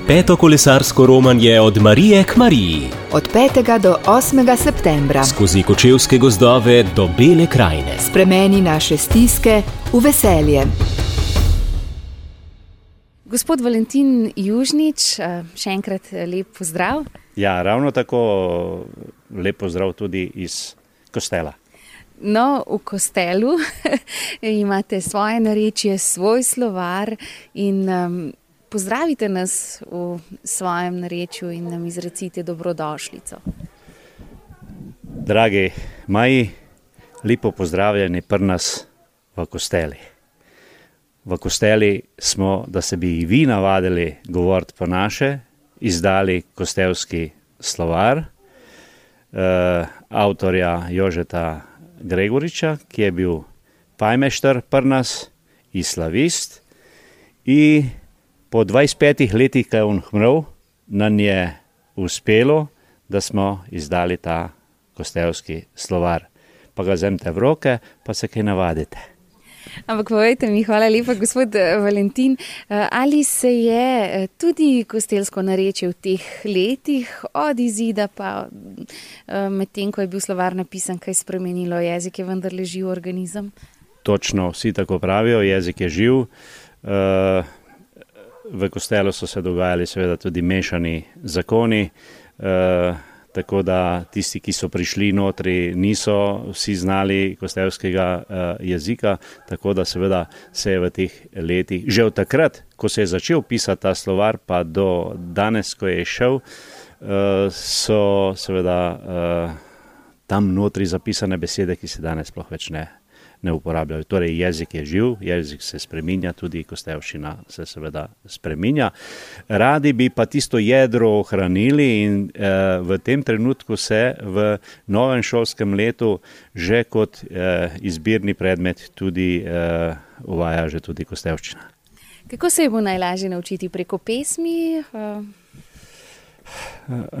Peto kolesarsko romanje od Marije k Mariji. Od 5. do 8. septembra. Skozi kočevske gozdove do Bele krajine. Spremeni naše stiske v veselje. Gospod Valentin Južnič, še enkrat lep pozdrav. Ja, ravno tako lep pozdrav tudi iz Kostela. No, v Kostelu imate svoje narečje, svoj slovar in pozdravite nas v svojem narečju in nam izrecite dobrodošlico. Dragi moji, lepo pozdravljeni pri nas v Kosteli. V Kosteli smo, da se bi i vi navadili govoriti po naše, izdali kostelski slovar avtorja Jožeta Gregoriča, ki je bil pajmešter pri nas in slavist. In po 25 letih, ko je on umrl, nam je uspelo, da smo izdali ta kostelski slovar. Pa ga vzemite v roke, pa se kaj navadite. Ampak povejte mi, hvala lepa, gospod Valentin, ali se je tudi kostelsko narečje v teh letih od izida pa medtem, ko je bil slovar napisan, kaj spremenilo? Jezik je vendar živ organizem? Točno, vsi tako pravijo, jezik je živ. V Kostelu so se dogajali seveda tudi mešani zakoni, tako da tisti, ki so prišli notri, niso vsi znali kostelskega jezika, tako da seveda se je v teh letih, že od takrat, ko se je začel pisati ta slovar, pa do danes, ko je šel, so seveda tam notri zapisane besede, ki se danes sploh več ne uporabljajo. Torej jezik je živ, jezik se spreminja, tudi kostelščina se seveda spreminja. Radi bi pa tisto jedro ohranili in v tem trenutku se v novem šolskem letu že kot izbirni predmet tudi uvaja že tudi kostelščina. Kako se je bo najlažje naučiti, preko pesmi?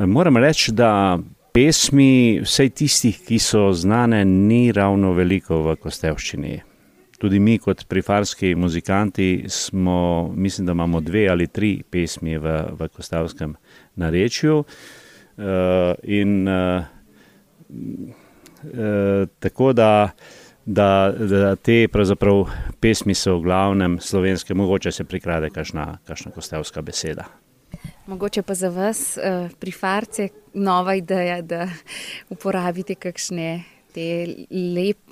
Moram reči, da pesmi, vsej tistih, ki so znane, ni ravno veliko v kostelščini. Tudi mi kot prifarski muzikanti smo, mislim, da imamo 2 ali 3 pesmi v kostelskem narečju. Tako da te pravzaprav pesmi so v glavnem slovenske, mogoče se prikrade kakšna kostelska beseda. Mogoče pa za vas, prifarce, nova ideja, da uporabite kakšne te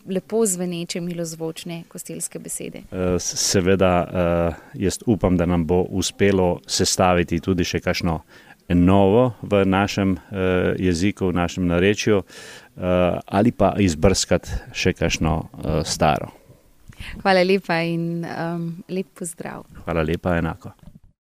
lepo zveneče, milozvočne kostelske besede. Seveda, jaz upam, da nam bo uspelo sestaviti tudi še kakšno novo v našem jeziku, v našem narečju, ali pa izbrskati še kakšno staro. Hvala lepa in lep pozdrav. Hvala lepa, enako.